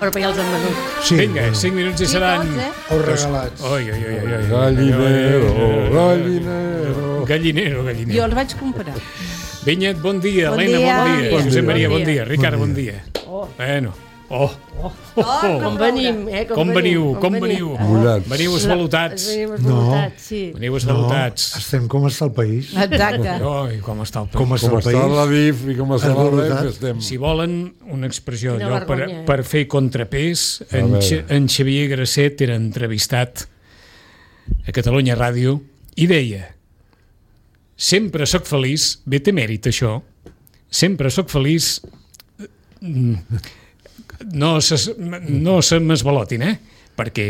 Però ja els han venut. Sí. Vinga, 5 minuts i seran... O regalats. Oi. Gallinero. Gallinero. Jo els vaig comprar. Vinyet, bon dia. Bon Helena, dia. bon dia. Bon dia. Josep Maria, bon Bon dia. Ricard, bon dia. Bueno. Com venim, Com veniu? Mullats. Veniu esvalutats. Sí. Veniu esvalutats. Estem com està el país. Exacte. Oi, com està el Com país. està Com el està país. la DIF i com està la Esvalutat. REF, estem... Si volen una expressió Quina allò vergonya, per fer contrapès, en Xavier Grasset era entrevistat a Catalunya Ràdio i deia: sempre sóc feliç, bé té mèrit això, sempre sóc feliç, no se m'esvalotin, perquè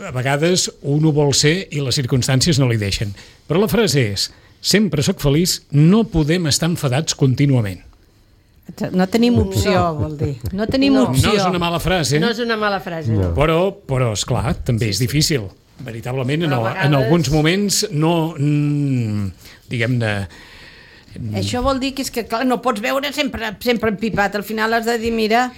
a vegades un ho vol ser i les circumstàncies no li deixen. Però la frase és: sempre sóc feliç, no podem estar enfadats contínuament. No tenim opció, vol dir. No tenim opció. No és una mala frase, No és una mala frase, no. però esclar, també és difícil. Veritablement, Però a en vegades- alguns moments no, diguem-ne... Això vol dir que és que, clar, no pots veure sempre empipat. Al final has de dir, mira,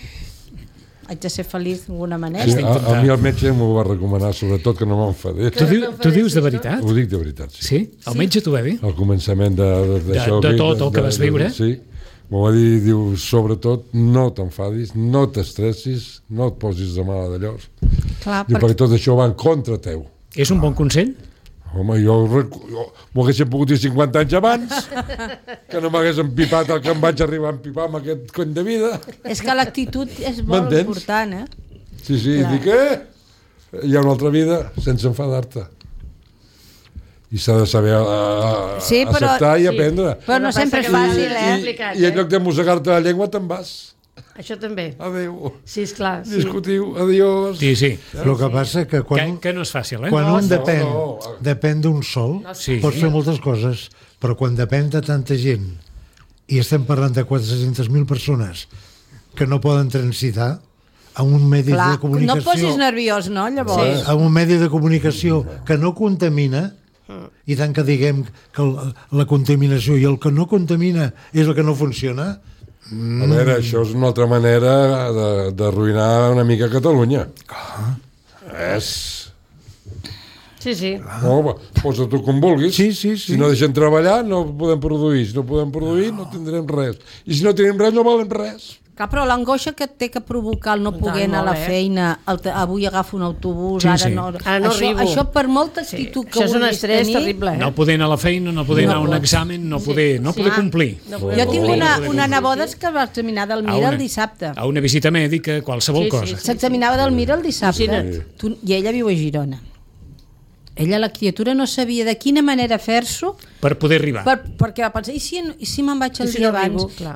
haig de ser feliç d'alguna manera. Sí, a mi el metge m'ho va recomanar, sobretot que no m'enfadés. Tu dius de veritat? Ho dic de veritat, sí. Sí? El metge t'ho va dir? Al començament d'això... De tot el que vas viure? Sí. M'ho va dir, diu, sobretot, no t'enfadis, no t'estressis, no et posis de mala d'allòs. Clar, Diu, perquè tot això va en contra teu. És un bon consell? Home, jo m'ho hagués pogut dir 50 anys abans, que no m'hagués empipat el que em vaig arribar a empipar amb aquest cony de vida. És que l'actitud és molt M'entens? important, Sí, Clar. dic, hi ha una altra vida sense enfadar-te. I s'ha de saber Sí, però- acceptar i sí. aprendre. Però no sempre és fàcil, I en lloc de mossegar-te la llengua te'n vas. Això també. Adéu. Sí, esclar. Sí. Discutiu, adiós. Sí, sí. El que passa que quan, Que no és fàcil, quan un no. depèn d'un sol, Sí. pots fer moltes coses, però quan depèn de tanta gent, i estem parlant de 400.000 persones que no poden transitar a un medi Clar, de comunicació... no et posis nerviós, no, llavors? A un medi de comunicació que no contamina, i tant que diguem que la contaminació i el que no contamina és el que no funciona. A veure, això és una altra manera d'arruïnar una mica Catalunya. És... Sí. No, posa tu com vulguis. Sí. Si no deixen treballar, no podem produir. Si no podem produir, no tindrem res. I si no tenim res, no valem res. Clar, però l'angoixa que té que provocar el no poder anar a la feina, avui agafo un autobús, Sí, ara sí. no... Ara no arribo. Això per molta actitud que Això és un vulguis estrès tenir... terrible, No poder anar a la feina, no poder anar a un examen, no poder complir. Jo tinc una neboda que va examinar del Mira el dissabte. A una visita mèdica, qualsevol cosa. S'examinava del Mira el dissabte. Imagina't. I ella viu a Girona. Ella, la criatura, no sabia de quina manera fer-s'ho Per poder arribar. perquè va pensar, i si me'n vaig el I si dia no arribo, abans? clar.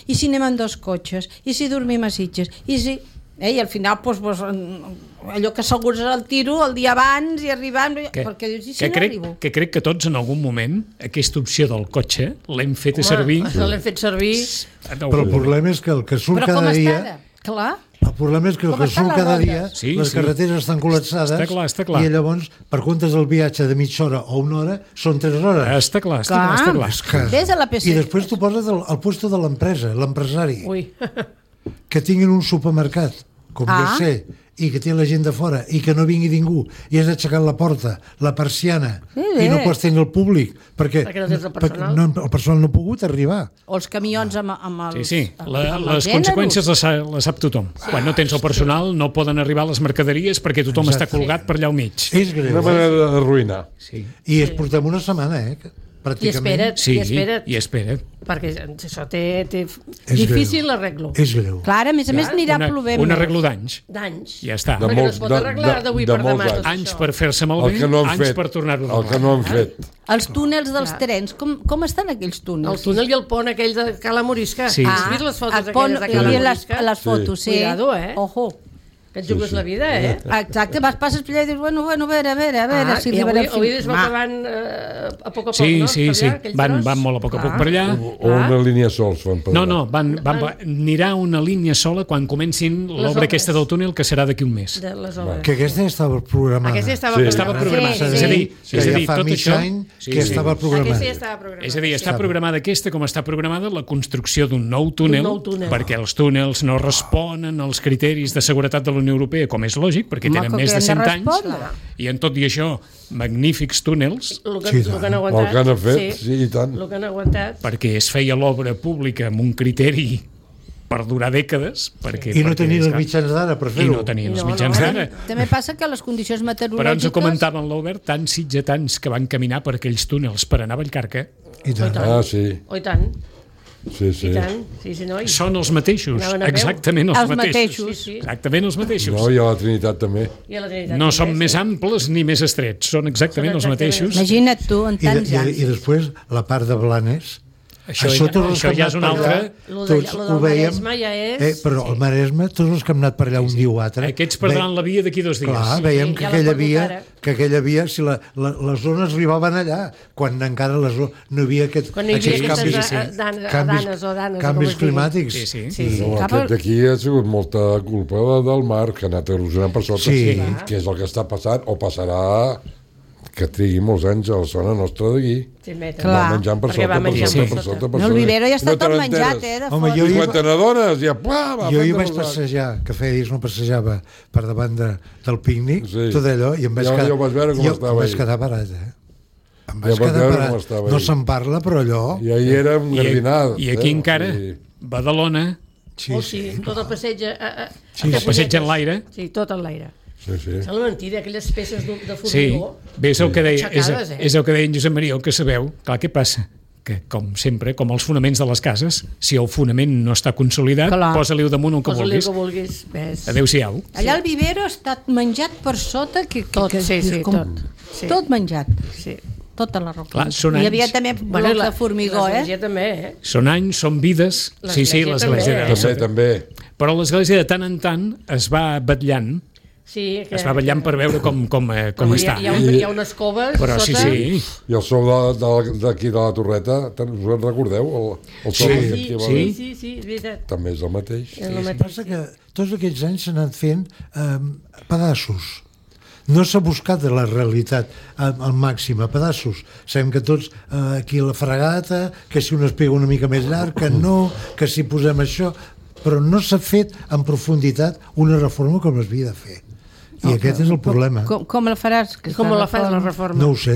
I si anem en 2 cotxes? I si dormim a Sitges? I si... I al final, allò que assegures el tiro el dia abans i arribant... Perquè dius, i si no arribo? Que crec que tots en algun moment aquesta opció del cotxe l'hem fet servir. L'hem fet servir. Però el problema és que el que surt Però com cada està dia... ara? Clar. El problema és que el Com que estan surt les cada rodes? dia, Sí, les sí. carreteres estan col·lapsades, Està clar. i llavors, per comptes del viatge de mitja hora o una hora, són 3 hores. Està clar, està clar. Ves a la PC. I després tu poses al puesto de l'empresa, l'empresari, Ui. que tinguin un supermercat, com jo sé, i que té la gent de fora, i que no vingui ningú, i has aixecat la porta, la persiana, i no pots tenir el públic, perquè Perquè no tens el personal. el personal no ha pogut arribar. O els camions amb els... Sí. Les conseqüències les sap tothom. Quan no tens el personal no poden arribar les mercaderies perquè tothom està colgat per allà al mig. És greu. Una manera d'arruïnar. Sí. I es portem una setmana, I pràcticament. espera't. Perquè això té difícil l'arreglo. És greu. Clar, a més n'anirà plovent. Un arreglo d'anys. D'anys. Ja està. De Perquè no molts- es pot arreglar de- d'avui de per molts demà. anys. tot Anys això. per fer-se malbé, El que no han anys fet. per tornar-ho a El que no han fet. Els túnels dels trens, com estan aquells El túnels? túnel i el pont aquell de Cala Morisca. Sí. Has vist les fotos el pont, aquelles de hi Cala havia Morisca? les fotos, sí. Cuidado, Ojo. Que et jugues la vida, Exacte, passes per allà i dius, bueno, a veure si arribarem fins... Avui es va acabant a poc a poc, no? Sí, van molt a poc a poc per allà. O una línia sols fan per allà. No, anirà una línia sola quan comencin l'obra aquesta del túnel, que serà d'aquí un mes. Que aquesta ja estava programada. Estava programada. És a dir, fa mig any que estava programada. És a dir, està programada aquesta com està programada la construcció d'un nou túnel, perquè els túnels no responen als criteris de seguretat de la Unió Europea, com és lògic, perquè tenen més de 100 anys, i en tot i això, magnífics túnels. El que han aguantat. El que han fet, sí, i tant. El que han aguantat. Perquè es feia l'obra pública amb un criteri per durar dècades. I no tenien els mitjans d'ara per fer-ho. I no tenien els mitjans d'ara. També passa que les condicions meteorològiques... Però ens ho comentaven l'Albert, tants sitgetans que van caminar per aquells túnels per anar a Vallcarca. I tant. Sí. Oh, i tant. Sí. I tant. Sí, noi. Són els mateixos, exactament els mateixos. Sí. Exactament els mateixos. No, i a la Trinitat també. No són més amples ni més estrets, són exactament els mateixos. Imagina't tu, en tants anys. I després, la part de Blanes... Això ja és un altre... Tots ho veiem, però el Maresme, tots els que hem anat per allà un dia o altre... Aquests perdran la via d'aquí 2 dies. Clar, veiem que aquella via, si les zones arribaven allà, quan encara no hi havia aquests canvis climàtics. Aquest d'aquí ha sigut molta culpa del mar, que ha anat erosionant per sota, que és el que està passant, o passarà... que trigui molts anys a la zona nostra d'aquí. Va menjant per sota. No, el vivero ja està tot menjat, de fora. I quan te n'adones, ja... Jo hi vaig passejar, que feia dies no passejava per davant del pícnic, tot allò, i em vaig quedar parat, Em vaig quedar parat. No se'n parla, però allò... I ahir era un gardinat. I aquí encara, Badalona... Sí, tot el passeig... El passeig en l'aire. Sí, tot en l'aire. Sí. És la mentida, aquelles peces de formigó. Bé, és el que deia en Josep Maria, el que sabeu. Clar, què passa? Que, com sempre, com els fonaments de les cases, si el fonament no està consolidat, posa-li-ho damunt el que vulguis. Adéu-siau. Allà el vivero ha estat menjat per sota, tot menjat. Sí. Tota la roca. Hi havia també blocs de formigó, Són anys, són vides. Sí, l'església també. Però l'església de tant en tant es va batllant. Es va batllant per veure com està. Hi ha unes coves però sota. Sí. I el sou d'aquí de la Torreta, us en recordeu? Sí, és veritat. També és el mateix. Passa que tots aquests anys s'han anat fent pedaços. No s'ha buscat de la realitat al màxim, a pedaços. Sabem que tots aquí la fregata, que si un es pega una mica més llarg, que si posem això... Però no s'ha fet en profunditat una reforma com es havia de fer. I aquest és el problema. Com la faràs? Com la fas, la reforma? No ho sé.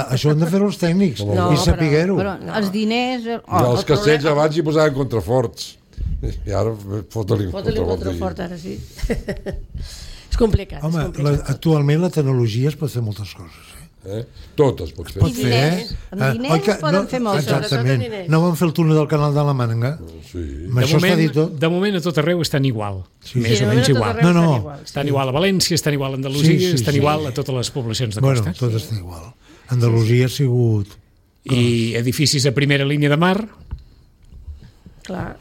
Això han de fer els tècnics i saber-ho. Però els diners... I els castells abans hi posaven contraforts. I ara fota-li contrafort, ara sí. És complicat. Home, actualment la tecnologia es pot fer moltes coses. Tot es pot fer. I diners. Amb diners es poden fer moltes. Exactament. No van fer el túnel del canal de la Mànega? Sí. De moment a tot arreu estan igual. Més o menys igual. Estan igual a València, estan igual a Andalusia, estan igual a totes les poblacions de costa. Bueno, tot està igual. Andalusia ha sigut... I edificis a primera línia de mar. Clar.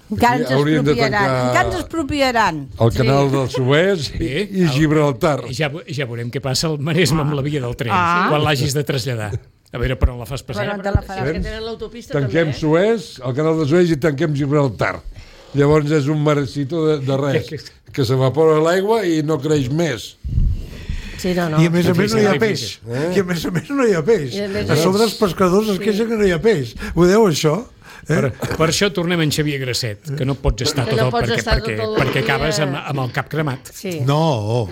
Encara ens expropiaran. El canal del Suez i Gibraltar. Ja veurem què passa al Maresme amb la via del tren, quan l'hagis de traslladar. A veure per on la fas passar. Tanquem Suez, el canal de Suez, i tanquem Gibraltar. Llavors és un marecito de res, que s'evapora l'aigua i no creix més. Sí, no. I a més a més no hi ha peix. A sobre els pescadors es queixen que no hi ha peix. Ho això? Per això tornem en Xavier Grasset, que no pots estar perquè acabes amb el cap cremat. No.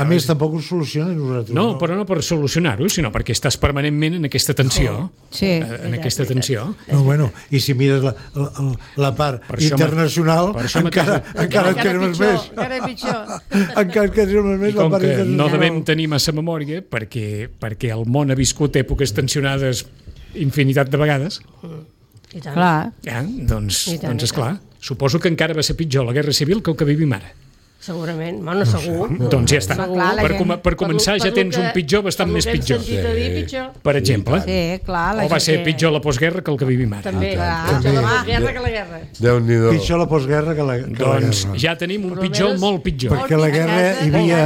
A més, tampoc ho soluciona nosaltres. No, però no per solucionar-ho, sinó perquè estàs permanentment en aquesta tensió. En aquesta tensió. No, bueno, i si mires la part internacional, encara et quedes més. Encara pitjor. Encara et quedes més la part internacional. No devem tenir massa memòria, perquè el món ha viscut èpoques tensionades infinitat de vegades. Clar. Doncs és clar. Suposo que encara va ser pitjor la Guerra Civil que el que vivim ara. Segurament, bueno, segur. Doncs ja està. Per començar ja tens un pitjor bastant més pitjor. Per exemple. Sí, clar. O va ser pitjor la postguerra que el que vivim ara. També, pitjor la postguerra que la guerra. Déu-n'hi-do. Pitjor la postguerra que la guerra. Doncs ja tenim un pitjor molt pitjor. Perquè a la guerra hi havia...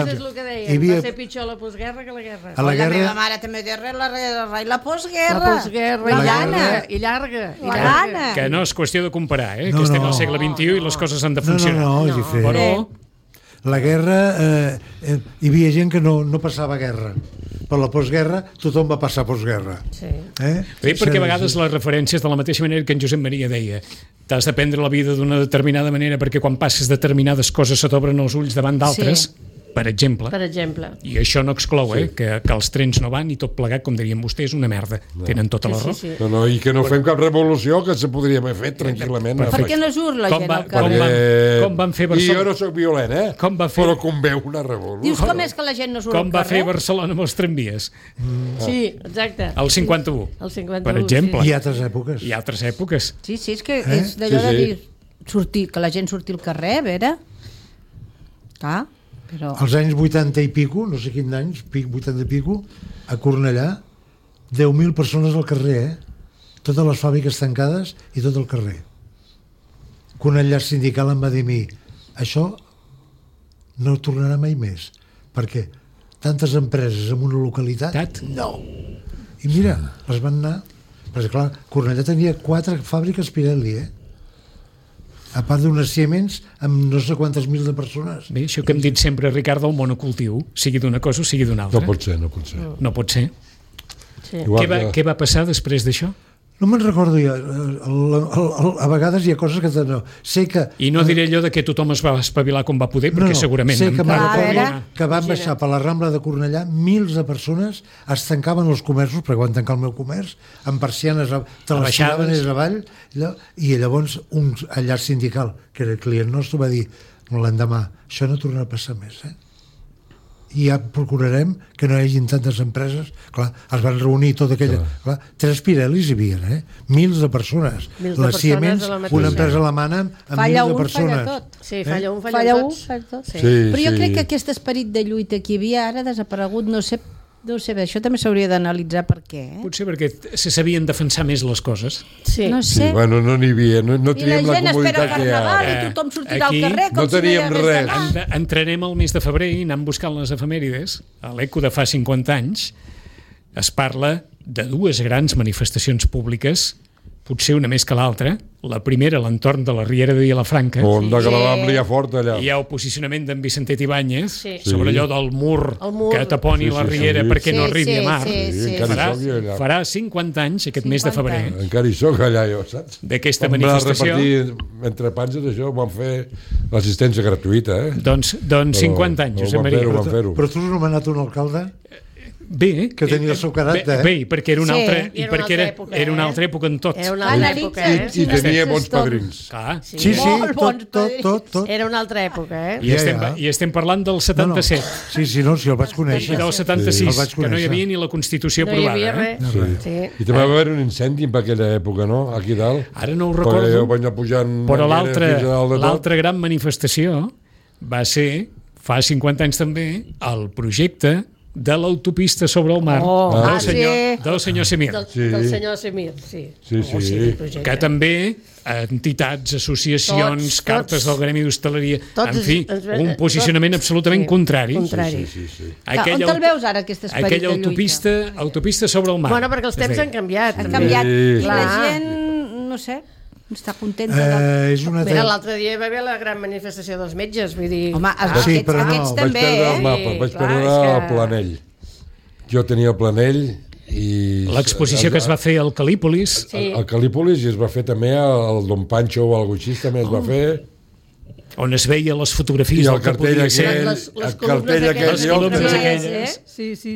Va ser pitjor la postguerra que la guerra. A la guerra... La meva mare també deia la postguerra. La postguerra, i llarga. La gana. Que no és qüestió de comparar, que estem al segle XXI i les coses han de funcionar. No, és diferent. Però... La guerra, hi havia gent que no passava guerra. Per la postguerra, tothom va passar postguerra. Sí. Perquè a vegades les referències, de la mateixa manera que en Josep Maria deia, t'has de prendre la vida d'una determinada manera perquè quan passes determinades coses se t'obren els ulls davant d'altres, per exemple. I això no exclou, que els trens no van i tot plegat, com dirien vostès, una merda. Tenen tota la raó. No, i que no fem cap revolució, que se podria haver fet tranquil·lament. Per què no surt la gent al carrer? Com van fer Barcelona? I jo no soc violent, però com veu una revolució. Dius, com és que la gent no surt al carrer? Com va fer Barcelona amb els tramvies? Sí, exacte. El 51. El 51, per exemple. I altres èpoques. I altres èpoques. Sí, és que és d'allò de dir sortir, que la gent surti al carrer, a veure. Clar. Però... Als anys 80 i pico, no sé quins anys, 80 i pico, a Cornellà, 10.000 persones al carrer, totes les fàbriques tancades i tot el carrer. Que un enllaç sindical em va dir a mi, això no tornarà mai més, perquè tantes empreses en una localitat, no. I mira, les van anar, perquè clar, Cornellà tenia 4 fàbriques Pirelli, a part d'unes Siemens amb no sé quantes mil de persones. Bé, això que hem dit sempre, Ricardo, el monocultiu, sigui d'una cosa o sigui d'una altra. No pot ser. No pot ser. Sí. Què va passar després d'això? No me'n recordo ja. A vegades hi ha coses que no. Sé que... I no diré allò de que tothom es va espavilar com va poder, perquè segurament... Sé que van baixar per la Rambla de Cornellà, mils de persones es tancaven els comerços, perquè van tancar el meu comerç, amb persianes te les tiraven avall, i llavors un enllaç sindical, que era el client nostre, va dir l'endemà, això no tornarà a passar més, i ja procurarem que no hi hagin tantes empreses. Clar, es van reunir tota aquella... Clar, 3 Pirellis hi havia, mils de persones. La Siemens, una empresa alemana amb mils de persones. Falla tot. Sí, falla tot. Però jo crec que aquest esperit de lluita que hi havia ara ha desaparegut, no sé bé, això també s'hauria d'analitzar per què. Potser perquè se sabien defensar més les coses. Sí. No sé. Sí, bueno, no n'hi havia, no teníem la comoditat que hi ha. I tothom sortirà al carrer com no teníem res. Entrarem al mes de febrer i anem buscant les efemèrides. A l'Eco de fa 50 anys es parla de 2 grans manifestacions públiques, potser una més que l'altra. La primera a l'entorn de la Riera de Vilafranca. On de que la vam liar fort allà. Hi ha el posicionament d'en Vicentet Ibáñez sobre allò del mur que taponi la Riera perquè no arribi a mar. Farà 50 anys aquest mes de febrer. Encara hi soc allà, jo, saps? D'aquesta manifestació. Vam repartir entre panses això, vam fer l'assistència gratuïta. Doncs 50 anys, Josep Maria. Però tu has nomenat un alcalde? Bé, que tenia el seu caràcter. Bé, perquè era una altra, i perquè era una altra època en tot. Era una altra època, I tenia bons padrins. Sí, tot. Era una altra època, I estem parlant del 77. Sí, no, si el vaig conèixer. I del 76, que no hi havia ni la Constitució aprovada. No hi havia res. I també va haver un incendi per aquella època, no?, aquí dalt. Ara no ho recordo, però l'altra gran manifestació va ser, fa 50 anys també, el projecte de l'autopista sobre el mar del senyor Semir. Del senyor Semir, sí. Que també entitats, associacions, cartes del Gremi d'Hostaleria, en fi, un posicionament absolutament contrari. On te'l veus ara, aquest esperit de lluita? Aquella autopista sobre el mar. Bueno, perquè els temps han canviat. Han canviat. I la gent, no sé, està contenta. Mira, l'altre dia va haver la gran manifestació dels metges, vull dir... Home, aquests també, vaig perdre el mapa, vaig perdre el planell. Jo tenia el planell i... L'exposició que es va fer al Calípolis. Al Calípolis, i es va fer també al Don Pancho o algo així, també es va fer... On es veia les fotografies del que podia ser. El cartell aquell,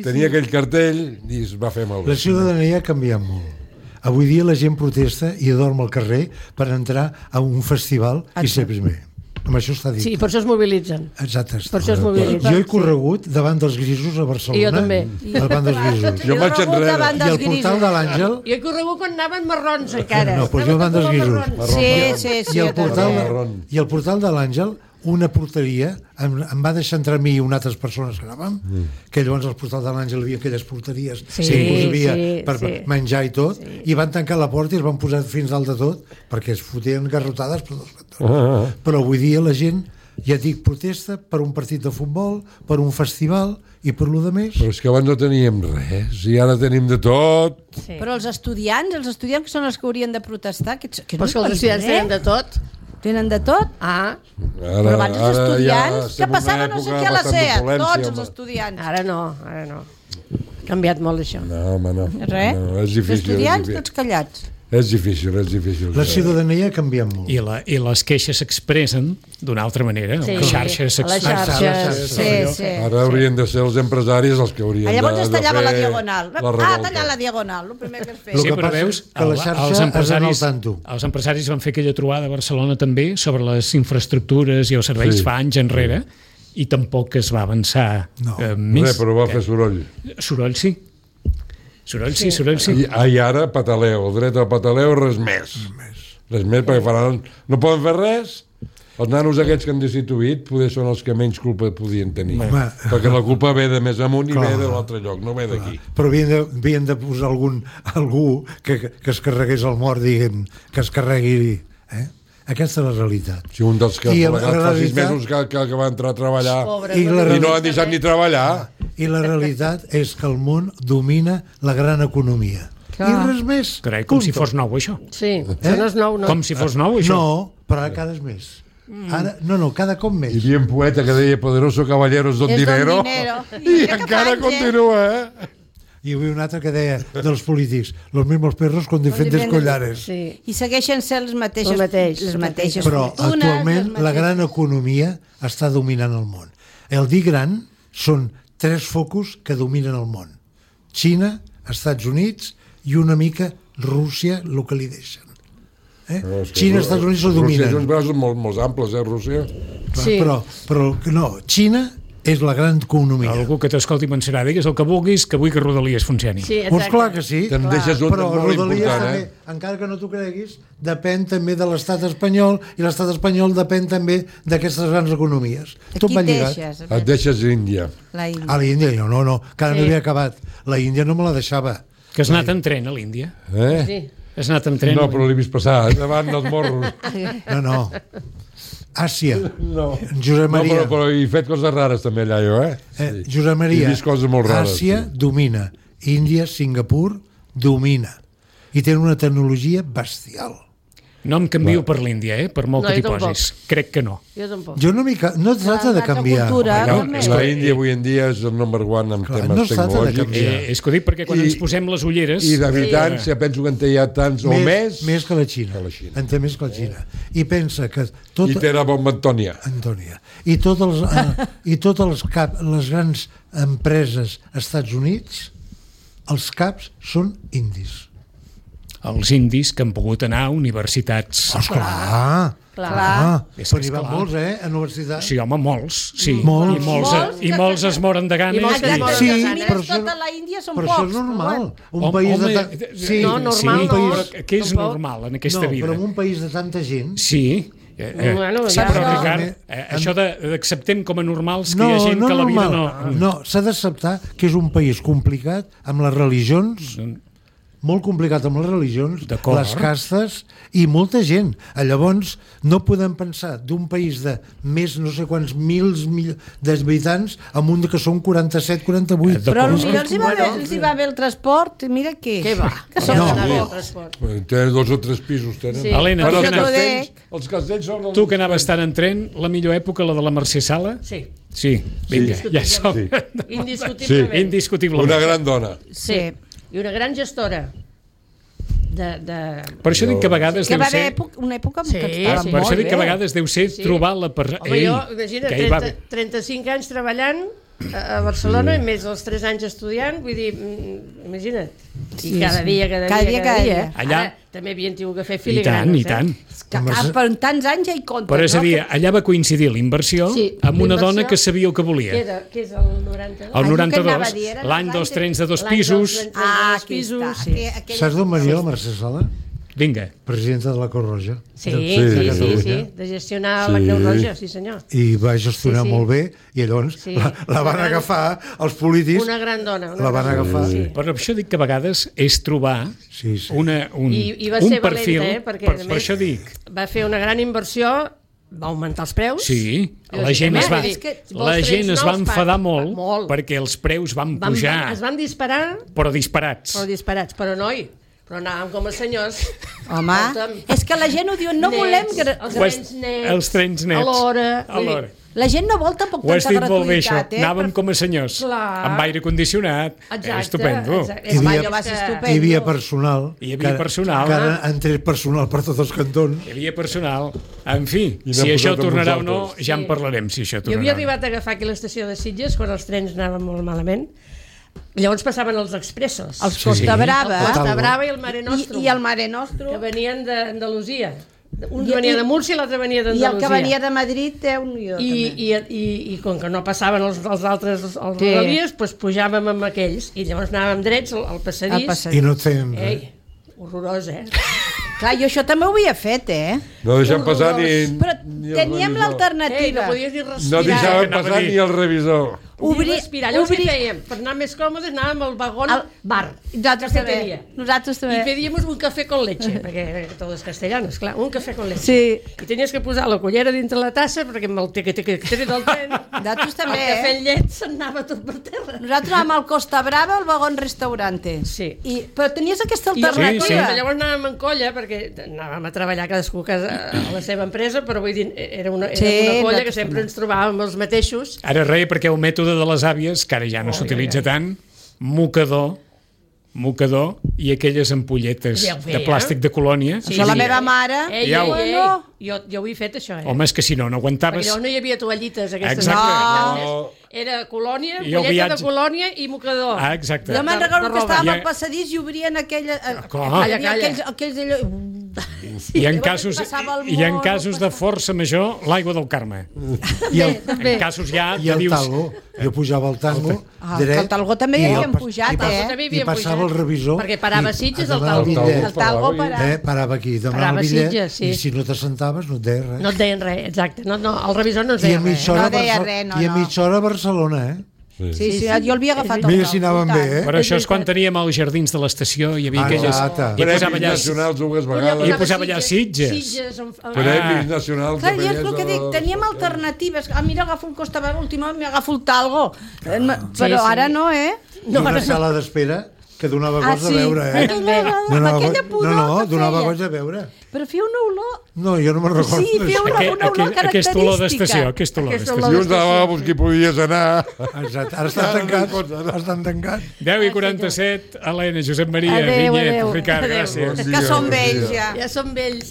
tenia aquell cartell i es va fer malbé. La ciutadania ha canviat molt. Avui dia la gent protesta i dorm al carrer per entrar a un festival i ser primer. Amb això està dit. Sí, per això es mobilitzen. Exacte. Per això es mobilitzen. Jo he corregut davant dels grisos a Barcelona. I jo també. Davant dels grisos. Jo vaig enrere. I al portal de l'Àngel... Jo he corregut quan anaven marrons encara. No, però jo davant dels grisos. Sí. I al portal de l'Àngel una porteria, em va deixar entrar a mi i unes altres persones que anàvem, que llavors als Portals de l'Àngel hi havia aquelles porteries que hi havia per menjar i tot, i van tancar la porta i es van posar fins dalt de tot, perquè es fotien garrotades per dos cantons. Però avui dia la gent, ja dic, protesta per un partit de futbol, per un festival i per lo de més. Però és que abans no teníem res i ara tenim de tot. Però els estudiants que són els que haurien de protestar, que però els estudiants tenen de tot. Tenen de tot? Però abans els estudiants, que passaven no sé què a la SEA, tots els estudiants. Ara no. Ha canviat molt això. No, home, no. Res? No, és difícil. Els estudiants tots callats. És difícil. La ciutadania ha canviat molt. I les queixes s'expressen d'una altra manera. Sí. Les xarxes s'expressen. Sí. Ara haurien de ser els empresaris els que haurien de fer llavors es tallava la diagonal. la revolta. Tallar la diagonal, el primer que es feia. El que però passa veus, que la xarxa és en el tanto. Els empresaris van fer aquella trobada a Barcelona també sobre les infraestructures i els serveis fa anys enrere i tampoc es va avançar més. Però va fer soroll. Soroll sí. Soroll sí. I ara pataleo, dret al pataleo, res més. Res més, perquè faran... No poden fer res. Els nanos aquests que han destituït poder són els que menys culpa podien tenir. Perquè la culpa ve de més amunt i ve de l'altre lloc, no ve d'aquí. Però havien de posar algú que es carregués el mort, diguem, que es carregui... Aquesta és la realitat. Si un dels que fa 6 mesos que va entrar a treballar i no han deixat ni treballar. I la realitat és que el món domina la gran economia. I res més. Carai, com si fos nou, això. Sí, això no és nou, no. Com si fos nou, això. No, però ara cada més. Ara, cada cop més. Hi havia un poeta que deia poderoso caballeros don dinero. I encara continua, Hi havia un altre que deia dels polítics, los mismos perros con diferentes collares. Sí. I segueixen sent les mateixes però actualment la gran economia està dominant el món. El dir gran són 3 focus que dominen el món. Xina, Estats Units i una mica Rússia, el que li deixen. Xina, Estats Units ho dominen. Rússia és uns braços molt amples, Rússia. Però no, Xina és la gran economia. Algú que t'escolti pensarà, digues el que vulguis, que vull que Rodalies funcioni. Sí, doncs clar que sí. Te'n deixes un molt Rodalies important, també, encara que no t'ho creguis, depèn també de l'estat espanyol, i l'estat espanyol depèn també d'aquestes grans economies. Tot va lligat. Et deixes Índia. L'Índia, no, encara no havia acabat. La Índia no me la deixava. Que has anat en tren a l'Índia? Sí. Has anat en tren? No, però l'he vist passar davant dels morros. No. Àsia. Josep Maria. No, però he fet coses rares també allà, jo, Josep Maria. He vist coses molt rares. Àsia domina. Índia, Singapur, domina. I tenen una tecnologia bestial. No em canvio per l'Índia, per molt que t'hi posis. Crec que no. Jo tampoc. No es tracta de canviar. La Índia avui en dia és el number one en temes tecnològics. És que ho dic perquè quan ens posem les ulleres... I d'habitants, penso que en té ja tants o més... Més que la Xina. En té més que la Xina. I pensa que... I té la bomba Antònia. I totes les grans empreses als Estats Units, els caps són indis. Els indis que han pogut anar a universitats. Clar. Però hi van molts, a universitats. Sí, home, molts. Sí. I molts es moren de gana. Sí, però tota la Índia són pocs. Però això és normal. Un país de... Sí, normal. Què és normal en aquesta vida? No, però en un país de tanta gent... Sí. Però, Ricard, això d'acceptem com a normals que hi ha gent que la vida no... No, s'ha d'acceptar que és un país complicat amb les religions... molt complicat amb les religions, les castes i molta gent. Llavors, no podem pensar d'un país de més no sé quants mils d'habitants amb un que són 47-48. Però potser els hi va bé el transport, mira què. Què va? Tenen 2 o 3 pisos. Helena, els castells són... Tu que anaves tant en tren, la millor època, la de la Mercè Sala? Sí, vinga, ja som. Indiscutiblement. Una gran dona. Sí. I una gran gestora. Per això dic que a vegades deu ser... una època que estava molt bé. Per això dic que a vegades deu ser trobar la persona... Home, jo, imagina, 35 anys treballant a Barcelona i més els 3 anys estudiant, vull dir, imagina't. I cada dia. Allà també havien tingut que fer filigranes. I tant. Per tants anys ja hi compten. Però és a dir, allà va coincidir l'inversió amb una dona que sabia el que volia. Què és el 92? El 92, l'any dels trens de 2 pisos. Pisos. Saps d'on venia la Mercè Sala? vinga. Presidenta de la Creu Roja. Sí, de gestionar la Creu Roja, sí senyor. I va gestionar molt bé, i llavors la van agafar, els polítics... Una gran dona. La van agafar. Però això dic que a vegades és trobar un perfil... perquè per això dic... Va fer una gran inversió, va augmentar els preus. Sí, la gent es va enfadar molt perquè els preus van pujar. Es van disparar. Però disparats. Però noi, però anàvem com els senyors. Home, és que la gent ho diu, no volem... Els trens nets. A l'hora. La gent no vol tampoc tanta gratuïtat. Ho has dit molt bé, això. Anàvem com a senyors, amb aire condicionat. Estupendo. Hi havia personal. Que entrés personal per tots els cantons. Hi havia personal. En fi, si això tornarà o no, ja en parlarem, si això tornarà. Jo havia arribat a agafar aquí l'estació de Sitges quan els trens anaven molt malament. Llavors passaven els expressos. Els Costa Brava. El Costa Brava i el Mare Nostrum. I el Mare Nostrum. Que venien d'Andalusia. Un venia de Múrcia i l'altre venia d'Andalusia. I el que venia de Madrid té un guió, també. I com que no passaven els altres rodalies, doncs pujàvem amb aquells i llavors anàvem drets al passadís. I no et feien res. Horrorós, Clar, jo això també ho havia fet, No deixem passar ni... Però teníem l'alternativa. No podies ni respirar. No deixàvem passar ni el revisor. Respirar. Llavors què fèiem? Per anar més còmodes anàvem al vagón bar. Nosaltres també. I pedíamos un café con leche, perquè tot és castellano, esclar, un café con leche. Sí. I tenies que posar la cullera dintre la tassa perquè amb el teque-teque del tren nosaltres també, el cafè en llet s'anava tot per terra. Nosaltres anàvem al Costa Brava, al vagón restaurante. Sí. Però tenies aquesta alternativa. Llavors anàvem en colla, perquè anàvem a treballar cadascú a la seva empresa, però vull dir, era una colla que sempre ens trobàvem els mateixos. Ara res, perquè el mètode de les àvies, que ara ja no s'utilitza tant, mocador i aquelles ampolletes de plàstic de colònia. Això la meva mare... Jo ho he fet, això. Home, és que si no aguantaves... Perquè no hi havia toallites, aquestes. Exacte. Era colònia, ampolleta de colònia i mocador. Exacte. Jo me'n recordo que estàvem al passadís i obrien aquells allò... I en casos de força major, l'aigua del Carme. I en casos ja... I el talgo. Jo pujava al tango dret. El talgo també hi havíem pujat, I passava el revisor. Perquè parava a Sitges el talgo. El talgo parava aquí, demanava el bitllet, i si no t'assentaves no et deien res. No et deien res, exacte. El revisor no ens deia res. I a mitja hora a Barcelona, Sí, jo l'havia agafat. Mira si anàvem bé, Però això és quan teníem els jardins de l'estació, hi havia aquelles... Premis nacionals dues vegades. I posava allà Sitges. Premis nacionals de bellesa. Jo és el que dic, teníem alternatives. Mira, agafo un Costa Brava, últimament m'agafo el talgo. Però ara no, Una sala d'espera que donava goig a veure, Aquella pudor donava goig a veure. Però feia una olor... No, jo no me'n recordo. Sí, feia una olor característica. Aquesta olor d'estació. I uns lavabos que podies anar... Exacte, ara estan tancats. 10:47, Helena, Josep Maria, Vinyet, Ricard, gràcies. Que som vells ja. Ja som vells.